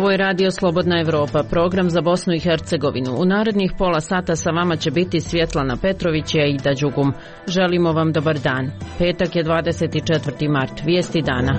Ovo je Radio Slobodna Evropa, program za Bosnu i Hercegovinu. U narednih pola sata sa vama će biti Svjetlana Petrović i Aida Đugum. Želimo vam dobar dan. Petak je 24. mart. Vijesti dana.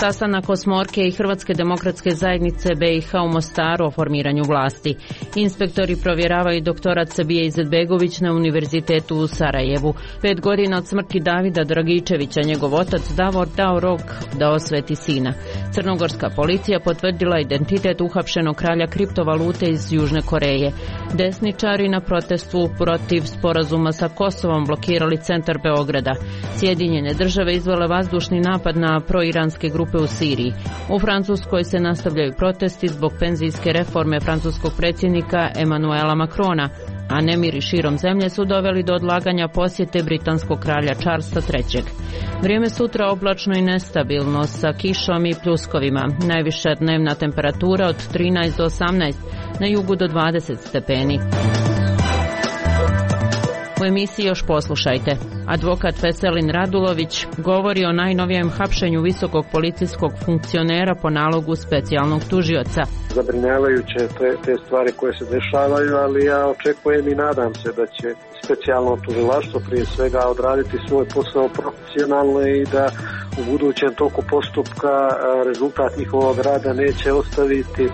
Sastanak osmorke i Hrvatske demokratske zajednice BiH u Mostaru o formiranju vlasti. Inspektori provjeravaju doktorat Sabije Izetbegović na Univerzitetu u Sarajevu. 5 godina od smrti Davida Dragičevića njegov otac Davor dao rok da osveti sina. Crnogorska policija potvrdila identitet uhapšenog kralja kriptovalute iz Južne Koreje. Desničari na protestu protiv sporazuma sa Kosovom blokirali centar Beograda. Sjedinjene države izvele vazdušni napad na proiranske grupe u Siriji. U Francuskoj se nastavljaju protesti zbog penzijske reforme francuskog predsjednika Emmanuela Macrona, a nemiri širom zemlje su doveli do odlaganja posjete britanskog kralja Charlesa III. Vrijeme sutra oblačno i nestabilno sa kišom i pljuskovima. Najviša dnevna temperatura od 13 do 18, na jugu do 20 stepeni. U emisiji još poslušajte. Advokat Veselin Radulović govori o najnovijem hapšenju visokog policijskog funkcionera po nalogu specijalnog tužioca. Zabrinjavajuće te stvari koje se dešavaju, ali ja očekujem i nadam se da će specijalno tužilaštvo prije svega odraditi svoj posao profesionalno i da u budućem toku postupka rezultat njihovog rada neće ostaviti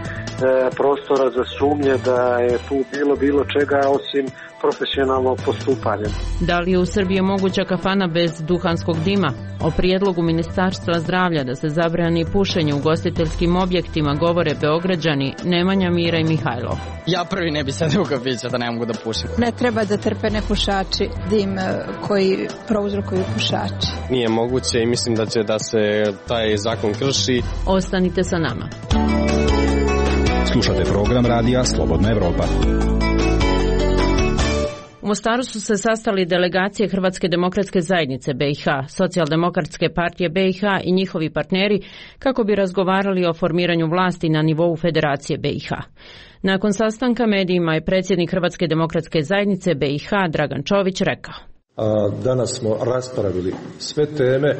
prostora za sumnje da je tu bilo čega osim profesionalnog postupanja. Da li je u Srbiji moguća kafana bez duhanskog dima? O prijedlogu Ministarstva zdravlja da se zabrani pušenje u ugostiteljskim objektima govore Beograđani Nemanja, Mira i Mihajlov. Ja prvi ne bi sad u kafića da ne mogu da pušim. Ne treba da trpe nepušači dim koji prouzrokuju pušači. Nije moguće i mislim da se taj zakon krši. Ostanite sa nama. Slušate program Radija Slobodna Evropa. U Mostaru su se sastali delegacije Hrvatske demokratske zajednice BiH, Socijaldemokratske partije BiH i njihovi partneri kako bi razgovarali o formiranju vlasti na nivou Federacije BiH. Nakon sastanka medijima je predsjednik Hrvatske demokratske zajednice BiH Dragan Čović rekao. Danas smo raspravili sve teme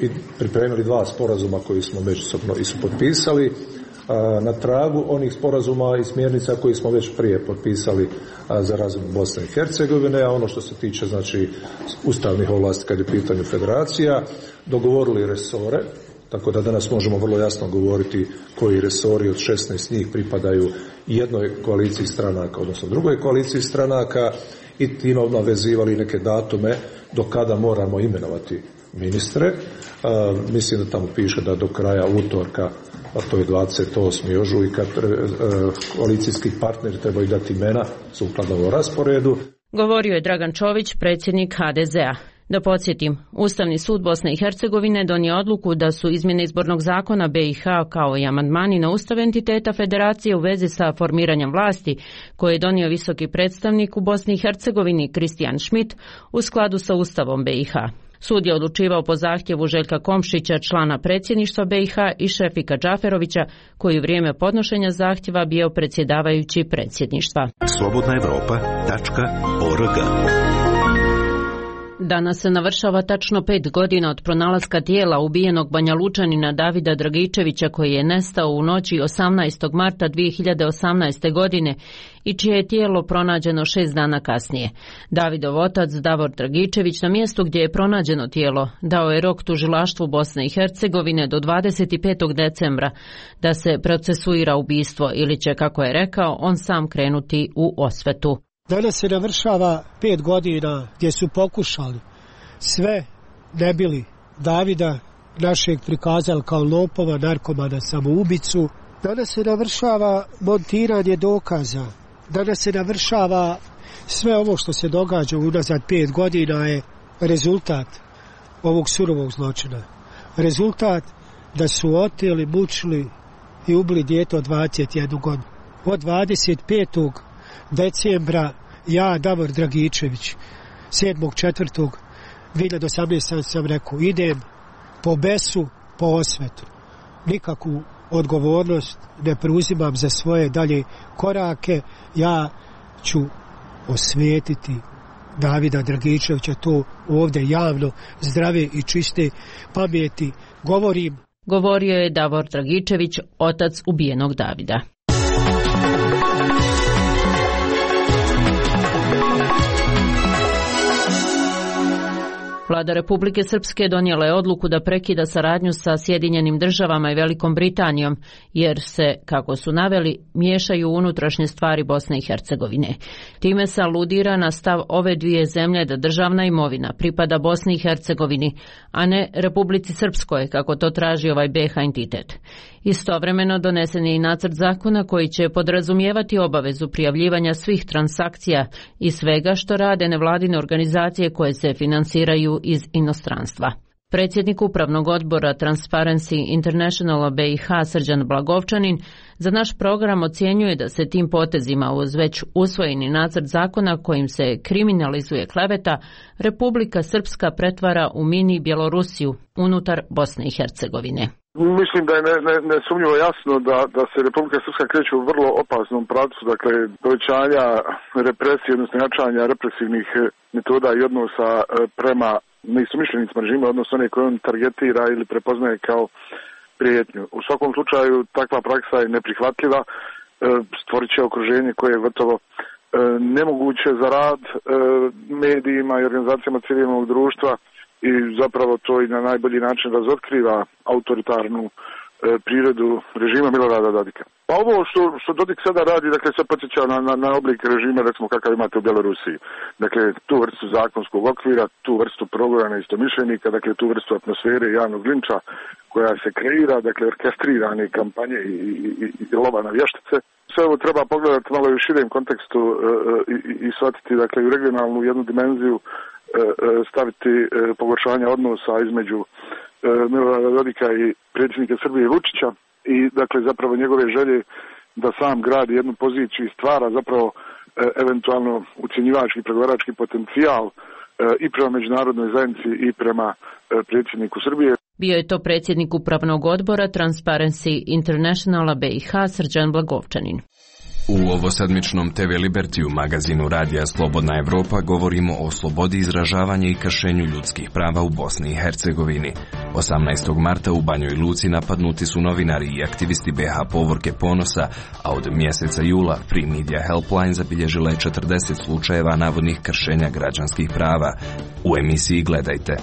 i pripremili 2 sporazuma koji smo međusobno potpisali. Na tragu onih sporazuma i smjernica koji smo već prije potpisali za razvoj Bosne i Hercegovine, a ono što se tiče znači ustavnih ovlasti kad je pitanje federacija, dogovorili resore, tako da danas možemo vrlo jasno govoriti koji resori od 16 njih pripadaju jednoj koaliciji stranaka, odnosno drugoj koaliciji stranaka i time navezivali neke datume do kada moramo imenovati ministre. Mislim da tamo piše da do kraja utorka, a to je 28. ožujka, koalicijski partneri trebaju dati imena sukladno ovom rasporedu. Govorio je Dragan Čović, predsjednik HDZ-a. Da podsjetim, Ustavni sud Bosne i Hercegovine donio odluku da su izmjene izbornog zakona BiH kao i amandmani na ustav entiteta federacije u vezi sa formiranjem vlasti koje je donio visoki predstavnik u Bosni i Hercegovini Kristijan Schmidt u skladu sa ustavom BiH. Sud je odlučivao po zahtjevu Željka Komšića, člana predsjedništva BiH, i Šefika Džaferovića, koji u vrijeme podnošenja zahtjeva bio predsjedavajući predsjedništva. slobodnaevropa.org. Danas se navršava tačno 5 godina od pronalaska tijela ubijenog Banjalučanina Davida Dragičevića koji je nestao u noći 18. marta 2018. godine i čije je tijelo pronađeno 6 dana kasnije. Davidov otac Davor Dragičević na mjestu gdje je pronađeno tijelo dao je rok tužilaštvu Bosne i Hercegovine do 25. decembra da se procesuira ubistvo ili će, kako je rekao, on sam krenuti u osvetu. Danas se navršava 5 godina gdje su pokušali sve ne bili Davida, našeg prikazali kao lopova, narkomana, samoubicu. Danas se navršava montiranje dokaza. Danas se navršava sve ovo što se događa unazad 5 godina je rezultat ovog surovog zločina. Rezultat da su oteli, mučili i ubili dijete od 21 godinu. Od 25. decembra ja, Davor Dragičević, 7.4.2018. sam rekao, idem po besu, po osvetu. Nikakvu odgovornost ne preuzimam za svoje dalje korake. Ja ću osvetiti Davida Dragičevića, to ovdje javno, zdrave i čiste pameti govorim. govorio je Davor Dragičević, otac ubijenog Davida. Vlada Republike Srpske donijela je odluku da prekida saradnju sa Sjedinjenim državama i Velikom Britanijom, jer se, kako su naveli, miješaju u unutrašnje stvari Bosne i Hercegovine. Time se aludira na stav ove dvije zemlje da državna imovina pripada Bosni i Hercegovini, a ne Republici Srpskoj, kako to traži ovaj BiH entitet. Istovremeno donesen je i nacrt zakona koji će podrazumijevati obavezu prijavljivanja svih transakcija i svega što rade nevladine organizacije koje se finansiraju iz inostranstva. Predsjednik Upravnog odbora Transparency International BiH Srđan Blagovčanin za naš program ocjenjuje da se tim potezima uz već usvojeni nacrt zakona kojim se kriminalizuje kleveta, Republika Srpska pretvara u mini Bjelorusiju unutar Bosne i Hercegovine. Mislim da je nesumnjivo jasno da se Republika Srpska kreće u vrlo opasnom pravcu, dakle povećanja represije, odnosno jačanja represivnih metoda i odnosa prema neistomišljenicima režima, odnosno one koje on targetira ili prepoznaje kao prijetnju. U svakom slučaju takva praksa je neprihvatljiva, stvorit će okruženje koje je gotovo nemoguće za rad medijima i organizacijama civilnog društva i zapravo to i na najbolji način razotkriva autoritarnu prirodu režima Milorada Dodika. Pa ovo što Dodik sada radi, dakle se podsjeća na oblik režima, recimo kakav imate u Bjelorusiji. Dakle, tu vrstu zakonskog okvira, tu vrstu progona istomišljenika, dakle tu vrstu atmosfere javnog linča koja se kreira, dakle orkestrirane kampanje i lova na vještice. Sve ovo treba pogledati malo i u širem kontekstu i shvatiti, dakle, u regionalnu jednu dimenziju, staviti pogoršanje odnosa između Milorada Dodika i predsjednika Srbije Vučića i dakle zapravo njegove želje da sam gradi jednu poziciju i stvara zapravo eventualno ucjenjivački pregovarački potencijal i prema međunarodnoj zajednici i prema predsjedniku Srbije. Bio je to predsjednik Upravnog odbora Transparency Internationala BiH Srđan Blagovčanin. U ovosedmičnom TV Libertiju magazinu Radija Slobodna Evropa govorimo o slobodi izražavanja i kršenju ljudskih prava u Bosni i Hercegovini. 18. marta u Banjoj Luci napadnuti su novinari i aktivisti BiH Povorke Ponosa, a od mjeseca jula Free Media Helpline zabilježila je 40 slučajeva navodnih kršenja građanskih prava. U emisiji Gledajte.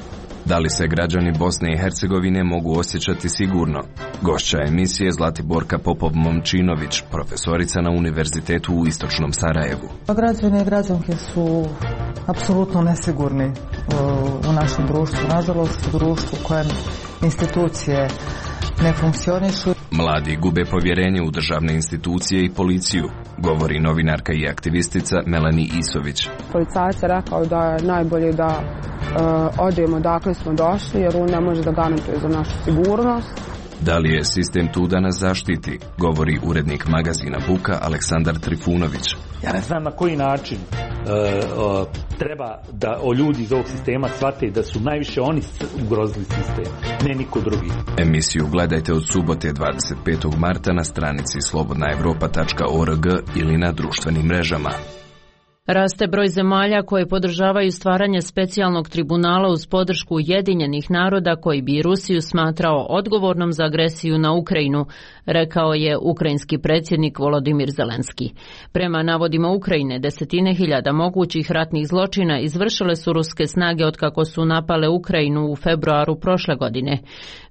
Da li se građani Bosne i Hercegovine mogu osjećati sigurno? Gošća emisije Zlatiborka Popov-Momčinović, profesorica na Univerzitetu u Istočnom Sarajevu. Građani i građanke su apsolutno nesigurni u našem društvu. Nažalost, u društvu u kojem institucije ne funkcionišu. Mladi gube povjerenje u državne institucije i policiju, govori novinarka i aktivistica Melanie Isović. Policajac je rekao da je najbolje da odemo dakle smo došli, jer on ne može da garantuje za našu sigurnost. Da li je sistem tu da nas zaštiti, govori urednik magazina Buka Aleksandar Trifunović. Ja ne znam na koji način treba da ljudi iz ovog sistema shvate da su najviše oni ugrozili sistem, ne niko drugi. Emisiju gledajte od subote 25. marta na stranici slobodnaevropa.org ili na društvenim mrežama. Raste broj zemalja koje podržavaju stvaranje specijalnog tribunala uz podršku Ujedinjenih naroda koji bi Rusiju smatrao odgovornom za agresiju na Ukrajinu, rekao je ukrajinski predsjednik Volodimir Zelenski. Prema navodima Ukrajine, desetine hiljada mogućih ratnih zločina izvršile su ruske snage otkako su napale Ukrajinu u februaru prošle godine.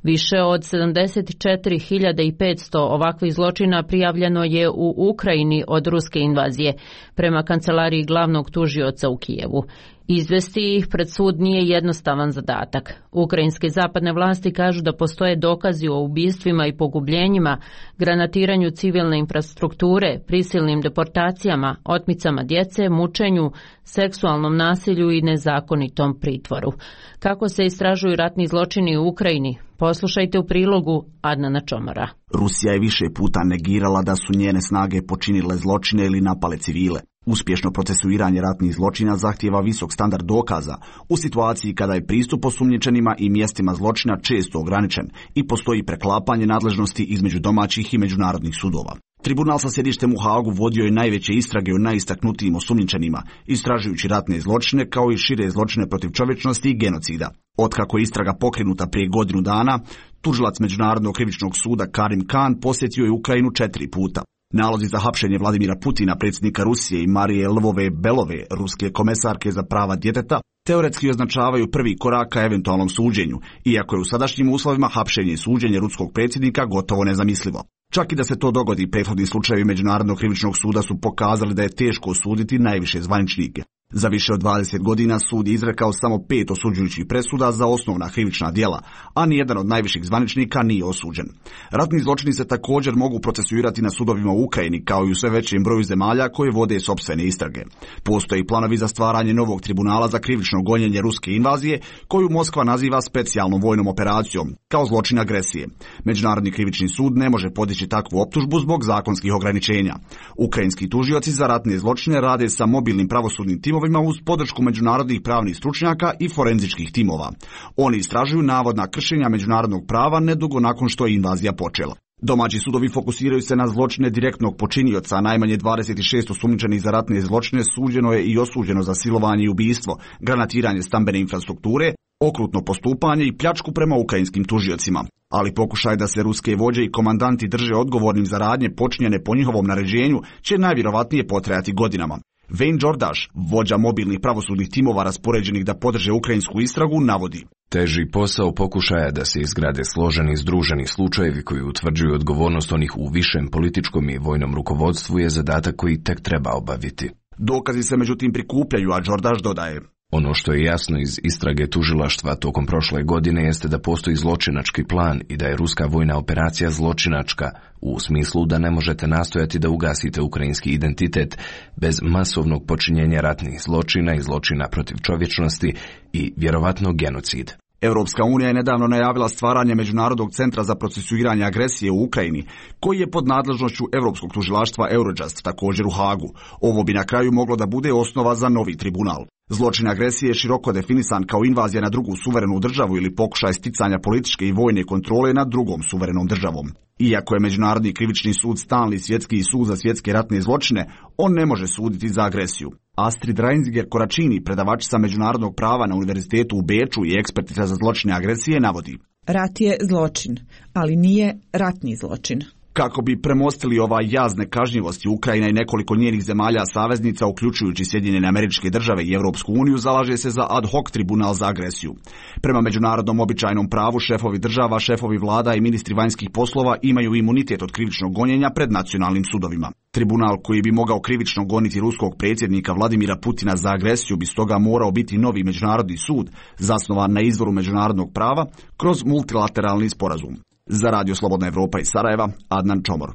Više od 74.500 ovakvih zločina prijavljeno je u Ukrajini od ruske invazije, prema kancelariji glavnog tužioca u Kijevu. Izvesti ih pred sud nije jednostavan zadatak. Ukrajinske zapadne vlasti kažu da postoje dokazi o ubistvima i pogubljenjima, granatiranju civilne infrastrukture, prisilnim deportacijama, otmicama djece, mučenju, seksualnom nasilju i nezakonitom pritvoru. Kako se istražuju ratni zločini u Ukrajini? Poslušajte u prilogu Adnana Čomara. Rusija je više puta negirala da su njene snage počinile zločine ili napale civile. Uspješno procesuiranje ratnih zločina zahtijeva visok standard dokaza u situaciji kada je pristup osumnjičenima i mjestima zločina često ograničen i postoji preklapanje nadležnosti između domaćih i međunarodnih sudova. Tribunal sa sjedištem u Haagu vodio je najveće istrage o najistaknutijim osumnjičenima, istražujući ratne zločine kao i šire zločine protiv čovječnosti i genocida. Otkako je istraga pokrenuta prije godinu dana, tužilac Međunarodnog krivičnog suda Karim Khan posjetio je Ukrajinu 4 puta. Nalozi za hapšenje Vladimira Putina, predsjednika Rusije, i Marije Lvove-Belove, ruske komesarke za prava djeteta, teoretski označavaju prvi korak ka eventualnom suđenju, iako je u sadašnjim uslovima hapšenje i suđenje ruskog predsjednika gotovo nezamislivo. Čak i da se to dogodi, prethodni slučajevi Međunarodnog krivičnog suda su pokazali da je teško osuditi najviše zvaničnike. Za više od 20 godina sud je izrekao samo 5 osuđujućih presuda za osnovna krivična djela, a nijedan od najviših zvaničnika nije osuđen. Ratni zločini se također mogu procesuirati na sudovima u Ukrajini, kao i u sve većem broju zemalja koje vode sopstvene istrage. Postoje planovi za stvaranje novog tribunala za krivično gonjenje ruske invazije, koju Moskva naziva specijalnom vojnom operacijom, kao zločin agresije. Međunarodni krivični sud ne može podići takvu optužbu zbog zakonskih ograničenja. Ukrajinski tužioci za ratne zločine rade sa mobilnim pravosudnim timovima uz podršku međunarodnih pravnih stručnjaka i forenzičkih timova. Oni istražuju navodna kršenja međunarodnog prava nedugo nakon što je invazija počela. Domaći sudovi fokusiraju se na zločine direktnog počinioca, najmanje 26 osumnjičenih za ratne zločine suđeno je i osuđeno za silovanje i ubistvo, granatiranje stambene infrastrukture, okrutno postupanje i pljačku prema ukrajinskim tužiocima. Ali pokušaj da se ruske vođe i komandanti drže odgovornim za radnje počinjene po njihovom naređenju će najvjerovatnije potrajati godinama. Wayne Jordaš, vođa mobilnih pravosudnih timova raspoređenih da podrže ukrajinsku istragu, navodi: Teži posao pokušaja da se izgrade složeni združeni slučajevi koji utvrđuju odgovornost onih u višem političkom i vojnom rukovodstvu je zadatak koji tek treba obaviti. Dokazi se međutim prikupljaju, a Jordaš dodaje: Ono što je jasno iz istrage tužilaštva tokom prošle godine jeste da postoji zločinački plan i da je ruska vojna operacija zločinačka, u smislu da ne možete nastojati da ugasite ukrajinski identitet bez masovnog počinjenja ratnih zločina i zločina protiv čovječnosti i vjerovatno genocid. Europska unija je nedavno najavila stvaranje Međunarodnog centra za procesuiranje agresije u Ukrajini, koji je pod nadležnošću Europskog tužilaštva Eurojust, također u Hagu. Ovo bi na kraju moglo da bude osnova za novi tribunal. Zločin agresije je široko definisan kao invazija na drugu suverenu državu ili pokušaj sticanja političke i vojne kontrole nad drugom suverenom državom. Iako je Međunarodni krivični sud stalni svjetski sud za svjetske ratne zločine, on ne može suditi za agresiju. Astrid Reisinger-Koracini, predavačica međunarodnog prava na Univerzitetu u Beču i ekspertica za zločine agresije, navodi: Rat je zločin, ali nije ratni zločin. Kako bi premostili ovaj jaz nekažnjivosti, Ukrajina i nekoliko njenih zemalja saveznica, uključujući Sjedinjene Američke Države i Europsku uniju, zalaže se za ad hoc tribunal za agresiju. Prema međunarodnom običajnom pravu, šefovi država, šefovi vlada i ministri vanjskih poslova imaju imunitet od krivičnog gonjenja pred nacionalnim sudovima. Tribunal koji bi mogao krivično goniti ruskog predsjednika Vladimira Putina za agresiju bi stoga morao biti novi međunarodni sud, zasnovan na izvoru međunarodnog prava kroz multilateralni sporazum. Za Radio Slobodna Evropa iz Sarajeva, Adnan Čomor.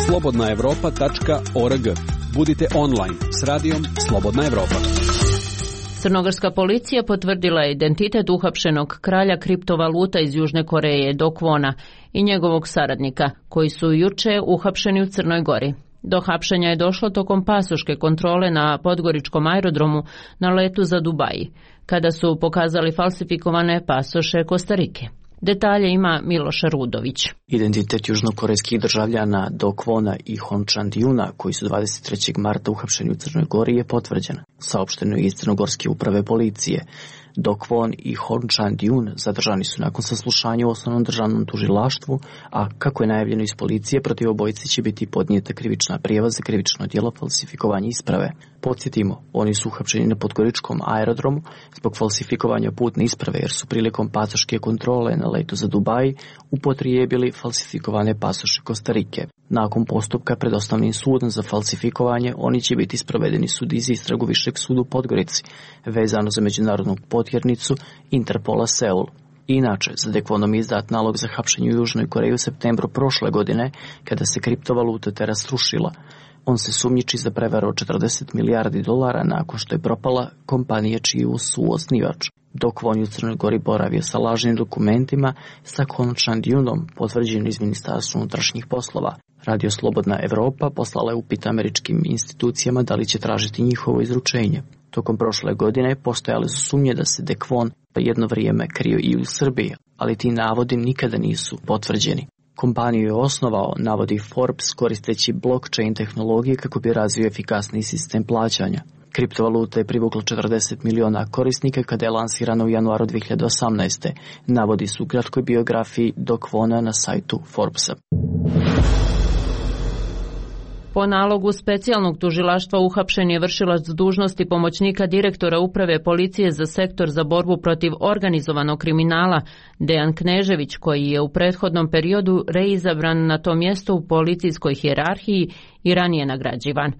slobodnaevropa.org. Budite online s radijom Slobodna Evropa. Crnogorska policija potvrdila je identitet uhapšenog kralja kriptovaluta iz Južne Koreje, Do Kwona, i njegovog saradnika, koji su juče uhapšeni u Crnoj Gori. Do hapšenja je došlo tokom pasoške kontrole na podgoričkom aerodromu na letu za Dubai, kada su pokazali falsifikovane pasoše Kostarike. Detalje ima Miloša Rudović. Identitet južnokorejskih državljana Do Kwona i Hon Chan-Dyuna, koji su 23. marta uhapšeni u Crnoj Gori, je potvrđen. Saopšteno je iz Crnogorske uprave policije. Do Kwon i Hon Chan-Dyun zadržani su nakon saslušanja u osnovnom državnom tužilaštvu, a kako je najavljeno iz policije, protiv obojice će biti podnijeta krivična prijava za krivično djelo falsifikovanja isprave. Podsjetimo, oni su uhapšeni na podgoričkom aerodromu zbog falsifikovanja putne isprave, jer su prilikom pasoške kontrole na letu za Dubai upotrijebili falsifikovane pasoše Kostarike. Nakon postupka pred osnovnim sudom za falsifikovanje, oni će biti sprovedeni sudi za istragu Višeg suda u Podgorici, vezano za međunarodnu potjernicu Interpola Seul. Inače, za Do Kwonom izdat nalog za hapšenje u Južnoj Koreji u septembru prošle godine, kada se kriptovaluta Terra srušila. On se sumnjiči za prevaru od $40 milijardi nakon što je propala kompanija čiji su osnivač. Do Kwon je u Crnoj Gori boravio sa lažnim dokumentima sa Hon Chan-Dyunom, potvrđenim iz Ministarstva unutrašnjih poslova. Radio Slobodna Evropa poslala je upit američkim institucijama da li će tražiti njihovo izručenje. Tokom prošle godine postojale su sumnje da se Do Kwon jedno vrijeme krio i u Srbiji, ali ti navodi nikada nisu potvrđeni. Kompaniju je osnovao, navodi Forbes, koristeći blockchain tehnologije kako bi razvio efikasni sistem plaćanja. Kriptovaluta je privukla 40 miliona korisnika kada je lansirana u januaru 2018. Navodi se u kratkoj biografiji Doc Kwona na sajtu Forbesa. Po nalogu specijalnog tužilaštva uhapšen je vršilac dužnosti pomoćnika direktora uprave policije za sektor za borbu protiv organizovanog kriminala Dejan Knežević, koji je u prethodnom periodu reizabran na to mjesto u policijskoj hijerarhiji i ranije nagrađivan.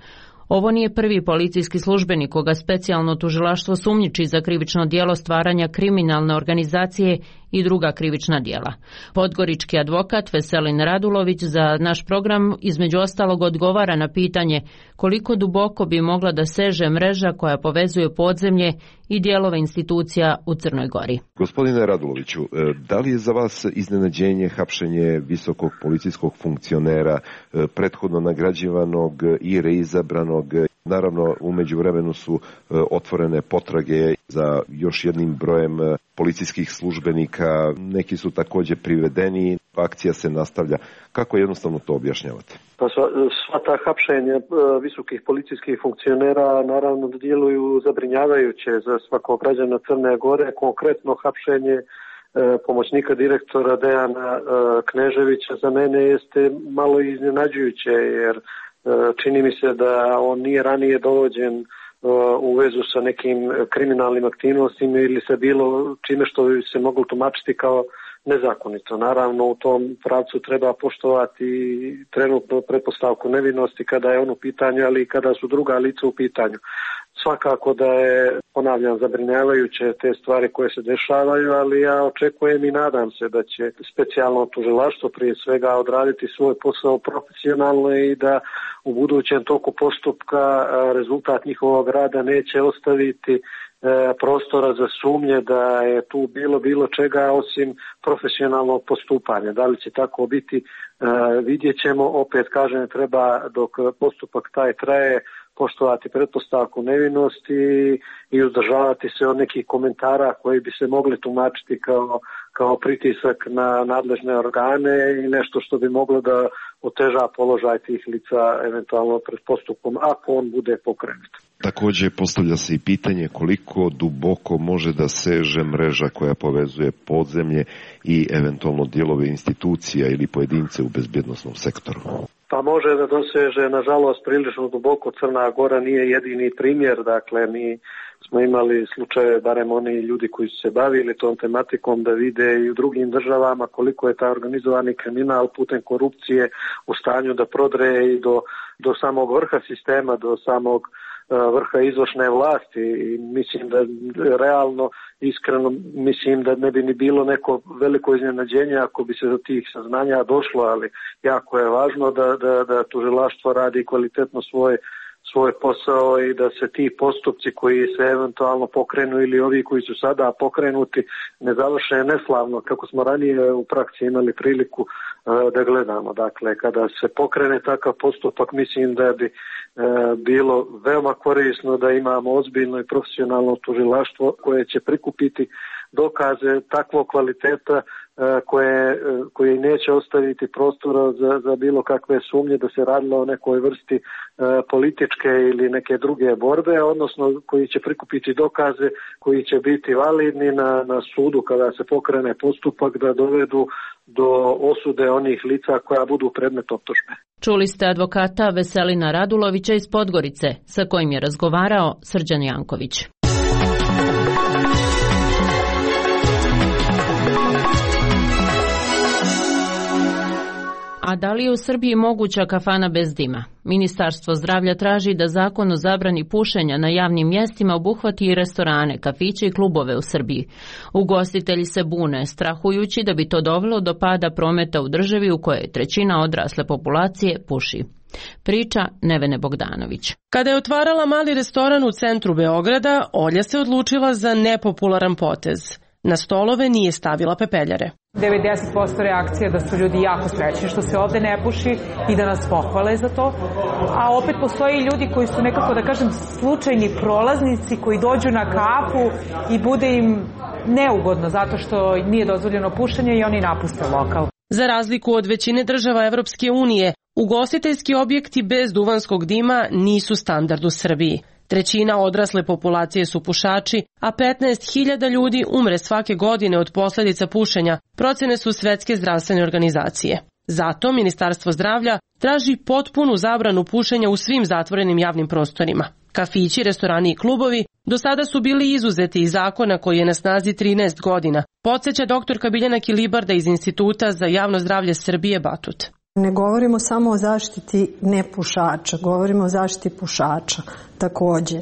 Ovo nije prvi policijski službenik koga specijalno tužilaštvo sumnjiči za krivično djelo stvaranja kriminalne organizacije i druga krivična djela. Podgorički advokat Veselin Radulović za naš program između ostalog odgovara na pitanje koliko duboko bi mogla da seže mreža koja povezuje podzemlje i dijelove institucija u Crnoj Gori. Gospodine Raduloviću, da li je za vas iznenađenje hapšenje visokog policijskog funkcionera, prethodno nagrađivanog i reizabranog? Naravno, u međuvremenu su otvorene potrage za još jednim brojem policijskih službenika, neki su također privedeni, akcija se nastavlja. Kako jednostavno to objašnjavate? Pa sva ta hapšenja visokih policijskih funkcionera naravno djeluju zabrinjavajuće za svakog građana Crne Gore. Konkretno hapšenje pomoćnika direktora Dejana Kneževića za mene jeste malo iznenađujuće, jer čini mi se da on nije ranije dovođen u vezu sa nekim kriminalnim aktivnostima ili sa bilo čime što bi se moglo tumačiti kao nezakonito. Naravno, u tom pravcu treba poštovati trenutnu pretpostavku nevinosti kada je on u pitanju, ali i kada su druga lica u pitanju. Svakako da je, ponavljam, zabrinjavajuće te stvari koje se dešavaju, ali ja očekujem i nadam se da će specijalno tužilaštvo prije svega odraditi svoj posao profesionalno i da u budućem toku postupka rezultat njihovog rada neće ostaviti prostora za sumnje da je tu bilo čega osim profesionalnog postupanja. Da li će tako biti, vidjet ćemo. Opet kažem, treba dok postupak taj traje poštovati pretpostavku nevinosti i uzdržavati se od nekih komentara koji bi se mogli tumačiti kao pritisak na nadležne organe i nešto što bi moglo da oteža položaj tih lica eventualno pred postupkom ako on bude pokrenut. Također postavlja se i pitanje koliko duboko može da seže mreža koja povezuje podzemlje i eventualno dijelove institucija ili pojedince u bezbjednosnom sektoru. Pa može da doseže, nažalost, prilično duboko. Crna Gora nije jedini primjer, dakle mi smo imali slučaje, barem oni ljudi koji su se bavili tom tematikom, da vide i u drugim državama koliko je taj organizovani kriminal putem korupcije u stanju da prodre i do samog vrha sistema, do samog vrha izvršne vlasti i mislim da realno, iskreno mislim da ne bi ni bilo neko veliko iznenađenje ako bi se do tih saznanja došlo, ali jako je važno da tužilaštvo radi kvalitetno svoj posao i da se ti postupci koji se eventualno pokrenu ili ovi koji su sada pokrenuti ne završe neslavno, kako smo ranije u praksi imali priliku da gledamo. Dakle, kada se pokrene takav postupak, mislim da bi bilo veoma korisno da imamo ozbiljno i profesionalno tužilaštvo koje će prikupiti dokaze takvog kvaliteta koje neće ostaviti prostora za bilo kakve sumnje da se radilo o nekoj vrsti političke ili neke druge borbe, odnosno koji će prikupiti dokaze koji će biti validni na sudu kada se pokrene postupak da dovedu do osude onih lica koja budu predmet optužbe. Čuli ste advokata Veselina Radulovića iz Podgorice, sa kojim je razgovarao Srđan Janković. A da li je u Srbiji moguća kafana bez dima? Ministarstvo zdravlja traži da zakon o zabrani pušenja na javnim mjestima obuhvati i restorane, kafiće i klubove u Srbiji. Ugostitelji se bune, strahujući da bi to dovelo do pada prometa u državi u kojoj trećina odrasle populacije puši. Priča Nevene Bogdanović. Kada je otvarala mali restoran u centru Beograda, Olja se odlučila za nepopularan potez. Na stolove nije stavila pepeljare. 90% reakcija da su ljudi jako srećni što se ovde ne puši i da nas pohvale za to. A opet postoji ljudi koji su nekako, da kažem, slučajni prolaznici koji dođu na kafu i bude im neugodno zato što nije dozvoljeno pušenje i oni napuste lokal. Za razliku od većine država Evropske unije, ugostiteljski objekti bez duvanskog dima nisu standard u Srbiji. Trećina odrasle populacije su pušači, a 15.000 ljudi umre svake godine od posljedica pušenja, procene su Svetske zdravstvene organizacije. Zato Ministarstvo zdravlja traži potpunu zabranu pušenja u svim zatvorenim javnim prostorima. Kafići, restorani i klubovi do sada su bili izuzeti iz zakona koji je na snazi 13 godina, podsjeća doktorka Biljana Kilibarda iz Instituta za javno zdravlje Srbije Batut. Ne govorimo samo o zaštiti nepušača, govorimo o zaštiti pušača također,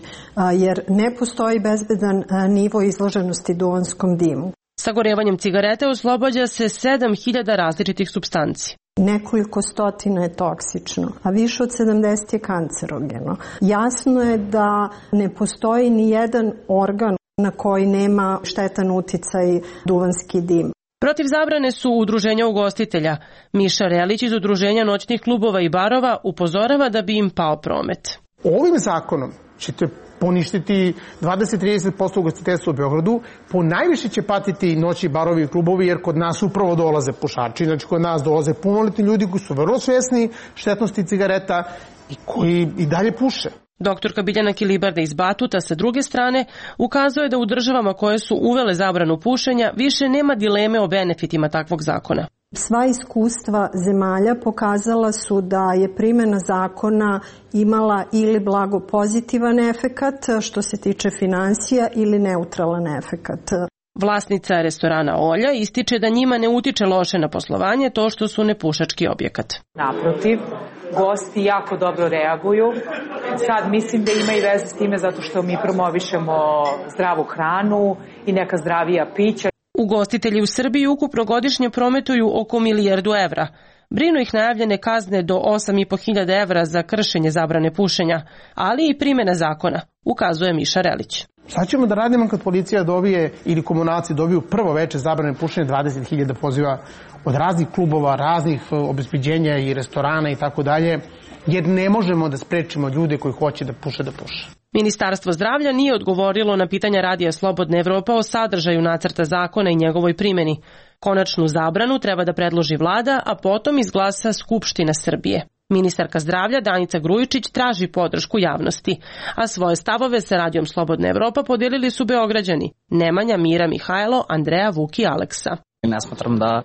jer ne postoji bezbedan nivo izloženosti duvanskom dimu. Sagorevanjem cigarete oslobađa se 7.000 različitih supstanci. Nekoliko stotina je toksično, a više od 70 je kancerogeno. Jasno je da ne postoji ni jedan organ na koji nema štetan uticaj duvanski dim. Protiv zabrane su udruženja ugostitelja. Miša Relić iz Udruženja noćnih klubova i barova upozorava da bi im pao promet. Ovim zakonom ćete poništiti 20-30% ugostiteljstva u Beogradu, ponajviše će patiti noći barovi i klubovi, jer kod nas upravo dolaze pušači, znači kod nas dolaze punoletni ljudi koji su vrlo svjesni štetnosti cigareta i koji i dalje puše. Doktorka Biljana Kilibarda iz Batuta sa druge strane ukazuje da u državama koje su uvele zabranu pušenja više nema dileme o benefitima takvog zakona. Sva iskustva zemalja pokazala su da je primjena zakona imala ili blago pozitivan efekat što se tiče financija ili neutralan efekat. Vlasnica restorana Olja ističe da njima ne utiče loše na poslovanje to što su nepušački objekat. Naprotiv, gosti jako dobro reaguju. Sad mislim da ima i veze s time zato što mi promovišemo zdravu hranu i neka zdravija pića. Ugostitelji u Srbiji ukupno godišnje prometuju oko 1 milijardu evra. Brinu ih najavljene kazne do 8.500 evra za kršenje zabrane pušenja, ali i primjena zakona, ukazuje Miša Relić. Sad ćemo da radimo kad policija dobije ili komunalci dobiju prvo veče zabrane pušenja, 20.000 poziva od raznih klubova, raznih obezbeđenja i restorana i tako dalje, jer ne možemo da sprečimo ljude koji hoće da puše. Ministarstvo zdravlja nije odgovorilo na pitanja Radija Slobodna Evropa o sadržaju nacrta zakona i njegovoj primjeni. Konačnu zabranu treba da predloži vlada, a potom izglasa Skupština Srbije. Ministarka zdravlja Danica Grujičić traži podršku javnosti, a svoje stavove sa Radijom Slobodna Evropa podijelili su Beograđani Nemanja, Mira, Mihajlo, Andreja, Vuk i Aleksa. Ne smatram da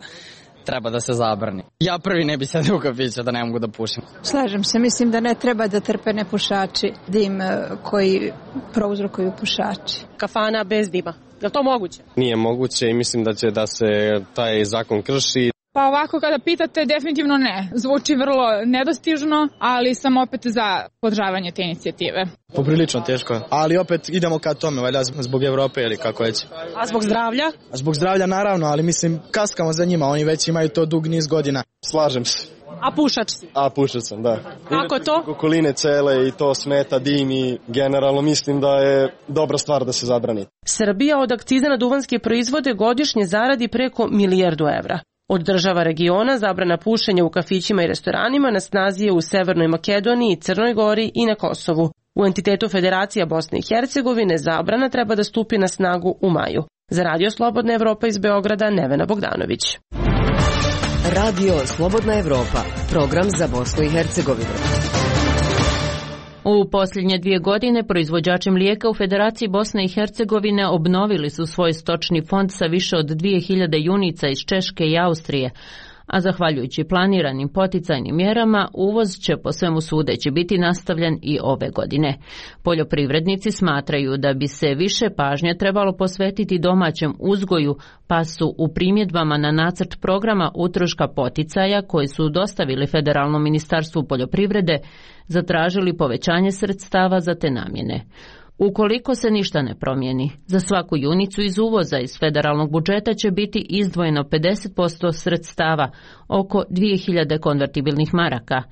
treba da se zabrani. Ja prvi ne bi sedio u kafiću da ne mogu da pušim. Slažem se, mislim da ne treba da trpe nepušači dim koji prouzrokuju pušači. Kafana bez dima, je li to moguće? Nije moguće i mislim da će da se taj zakon krši. Pa ovako kada pitate, definitivno ne. Zvuči vrlo nedostižno, ali sam opet za podržavanje te inicijative. Poprilično teško, ali opet idemo ka tome, valjda zbog Evrope ili kako već. A zbog zdravlja? Zbog zdravlja naravno, ali mislim kaskamo za njima, oni već imaju to dug niz godina. Slažem se. A pušač si? A pušač sam, da. Kako to? Okoline cele i to smeta, dim i generalno mislim da je dobra stvar da se zabrani. Srbija od akciza na duvanske proizvode godišnje zaradi preko 1 milijardu evra. Od država regiona zabrana pušenja u kafićima i restoranima na snazi je u Severnoj Makedoniji, Crnoj Gori i na Kosovu. U entitetu Federacija Bosne i Hercegovine zabrana treba da stupi na snagu u maju. Za Radio Slobodna Evropa iz Beograda, Nevena Bogdanović. Radio Slobodna Evropa, program za Bosnu i Hercegovinu. U posljednje 2 godine proizvođači mlijeka u Federaciji Bosne i Hercegovine obnovili su svoj stočni fond sa više od 2000 junica iz Češke i Austrije, a zahvaljujući planiranim poticajnim mjerama uvoz će po svemu sudeći biti nastavljen i ove godine. Poljoprivrednici smatraju da bi se više pažnje trebalo posvetiti domaćem uzgoju, pa su u primjedbama na nacrt programa utroška poticaja koji su dostavili Federalnom ministarstvu poljoprivrede zatražili povećanje sredstava za te namjene. Ukoliko se ništa ne promijeni, za svaku junicu iz uvoza iz federalnog budžeta će biti izdvojeno 50% sredstava, oko 2000 konvertibilnih maraka,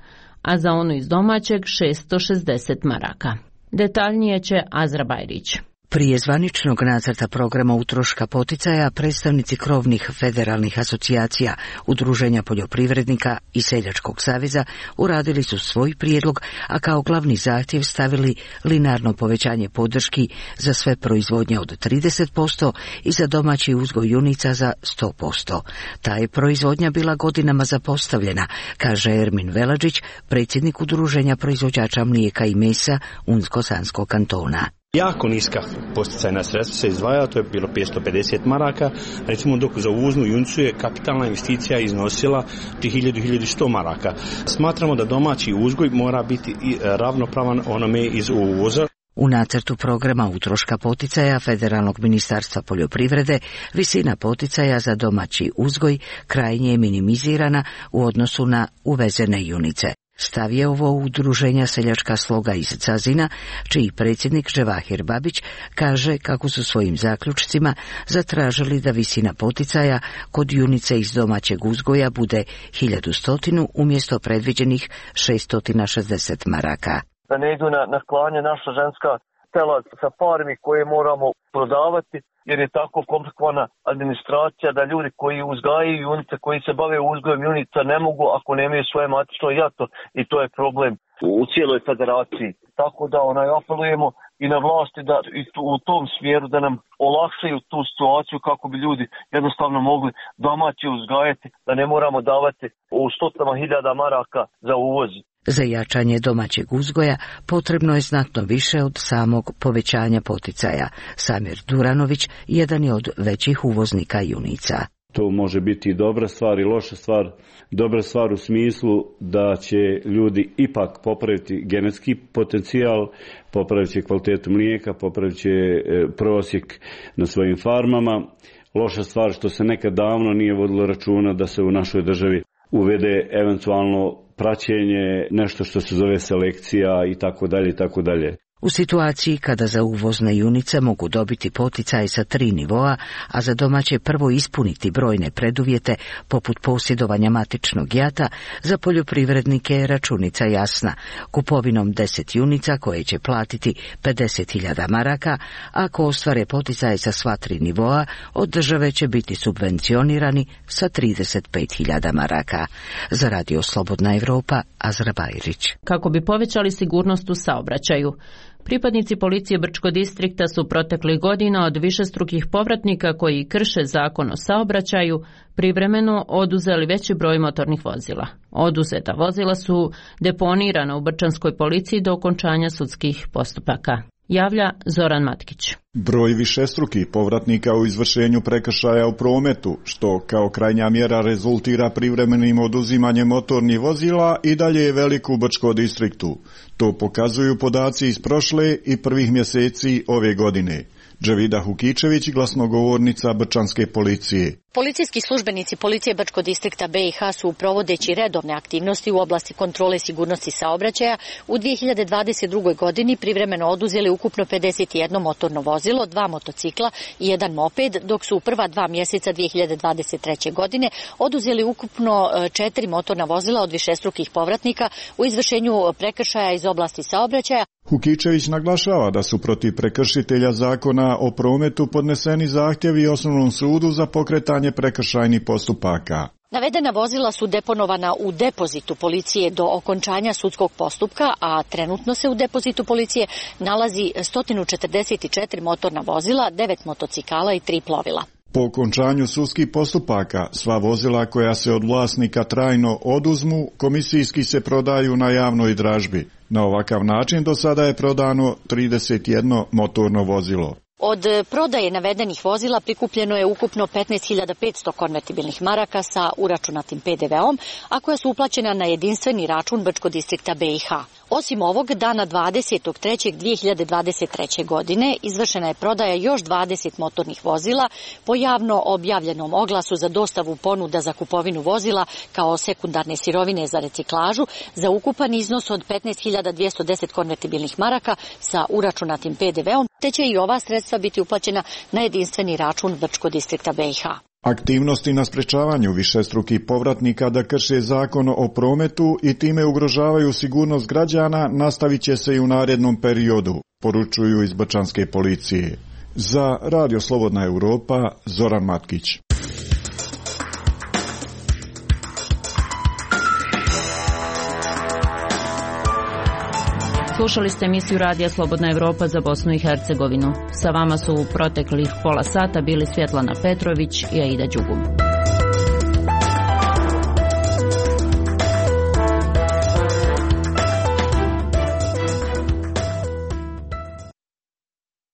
a za onu iz domaćeg 660 maraka. Detaljnije će Azra Bajrić. Prije zvaničnog nacrta programa utroška poticaja, predstavnici krovnih federalnih asocijacija, udruženja poljoprivrednika i Seljačkog saveza uradili su svoj prijedlog, a kao glavni zahtjev stavili linearno povećanje podrški za sve proizvodnje od 30% i za domaći uzgoj junica za 100%. Ta je proizvodnja bila godinama zapostavljena, kaže Ermin Veladžić, predsjednik udruženja proizvođača mlijeka i mesa Unsko-Sanskog kantona. Jako niska posticajna sredstva se izdvaja, to je bilo 550 maraka, recimo dok za uvoznu junicu je kapitalna investicija iznosila 1000-1100 maraka. Smatramo da domaći uzgoj mora biti ravnopravan onome iz uvoza. U nacrtu programa utroška poticaja Federalnog ministarstva poljoprivrede visina poticaja za domaći uzgoj krajnje je minimizirana u odnosu na uvezene junice. Stav je ovo udruženja Seljačka sloga iz Cazina, čiji predsjednik Ževahir Babić kaže kako su svojim zaključcima zatražili da visina poticaja kod junice iz domaćeg uzgoja bude 1100 umjesto predviđenih 660 maraka. Da ne idu na klanje naša ženska tela sa farmi koje moramo prodavati, jer je tako komplikovana administracija da ljudi koji uzgajaju junice, koji se bave uzgojem junica ne mogu ako nemaju svoje matično jato i to je problem u cijeloj federaciji. Tako da apelujemo i na vlasti da u tom smjeru da nam olakšaju tu situaciju kako bi ljudi jednostavno mogli domaći uzgajati, da ne moramo davati u stotinama hiljada maraka za uvoz. Za jačanje domaćeg uzgoja potrebno je znatno više od samog povećanja poticaja. Samir Duranović jedan je od većih uvoznika junica. To može biti dobra stvar i loša stvar. Dobra stvar u smislu da će ljudi ipak popraviti genetski potencijal, popravit će kvalitetu mlijeka, popravit će prosjek na svojim farmama. Loša stvar što se nekad davno nije vodilo računa da se u našoj državi uvede eventualno praćenje, nešto što se zove selekcija i tako dalje i tako dalje. U situaciji kada za uvozne junice mogu dobiti poticaj sa 3 nivoa, a za domaće prvo ispuniti brojne preduvjete poput posjedovanja matičnog jata, za poljoprivrednike je računica jasna. Kupovinom 10 junica koje će platiti 50.000 maraka, ako ostvare poticaj sa sva 3 nivoa, od države će biti subvencionirani sa 35.000 maraka. Za Radio Slobodna Evropa, Azra Bajrić. Kako bi povećali sigurnost u saobraćaju, pripadnici policije Brčko distrikta su proteklih godina od višestrukih povratnika koji krše zakon o saobraćaju privremeno oduzeli veći broj motornih vozila. Oduzeta vozila su deponirana u Brčanskoj policiji do okončanja sudskih postupaka. Javlja Zoran Matkić. Broj višestrukih povratnika u izvršenju prekršaja u prometu, što kao krajnja mjera rezultira privremenim oduzimanjem motornih vozila, i dalje je velik u Brčko distriktu. To pokazuju podaci iz prošle i prvih mjeseci ove godine. Dževida Hukičević, glasnogovornica Brčanske policije. Policijski službenici policije Brčko distrikta BiH su provodeći redovne aktivnosti u oblasti kontrole sigurnosti saobraćaja u 2022. godini privremeno oduzeli ukupno 51 motorno vozilo, 2 motocikla i 1 moped, dok su u prva 2 mjeseca 2023. godine oduzeli ukupno 4 motorna vozila od višestrukih povratnika u izvršenju prekršaja iz oblasti saobraćaja. Hukičević naglašava da su protiv prekršitelja zakona o prometu podneseni zahtjevi Osnovnom sudu za pokretanje prekršajnih postupaka. Navedena vozila su deponovana u depozitu policije do okončanja sudskog postupka, a trenutno se u depozitu policije nalazi 144 motorna vozila, 9 motocikala i 3 plovila. Po okončanju sudskih postupaka, sva vozila koja se od vlasnika trajno oduzmu, komisijski se prodaju na javnoj dražbi. Na ovakav način do sada je prodano 31 motorno vozilo. Od prodaje navedenih vozila prikupljeno je ukupno 15.500 konvertibilnih maraka sa uračunatim PDV-om, a koja su uplaćena na jedinstveni račun Brčko distrikta BiH. Osim ovog, dana 20.3.2023. godine izvršena je prodaja još 20 motornih vozila po javno objavljenom oglasu za dostavu ponuda za kupovinu vozila kao sekundarne sirovine za reciklažu za ukupan iznos od 15.210 konvertibilnih maraka sa uračunatim PDV-om, te će i ova sredstva biti uplaćena na jedinstveni račun Brčko distrikta BiH. Aktivnosti na sprečavanju višestrukih povratnika da krše zakon o prometu i time ugrožavaju sigurnost građana nastavit će se i u narednom periodu. poručuju iz bačanske policije. Za Radio Slobodna Europa, Zoran Matkić. Slušali ste emisiju Radija Slobodna Evropa za Bosnu i Hercegovinu. Sa vama su u proteklih pola sata bili Svjetlana Petrović i Aida Đugum.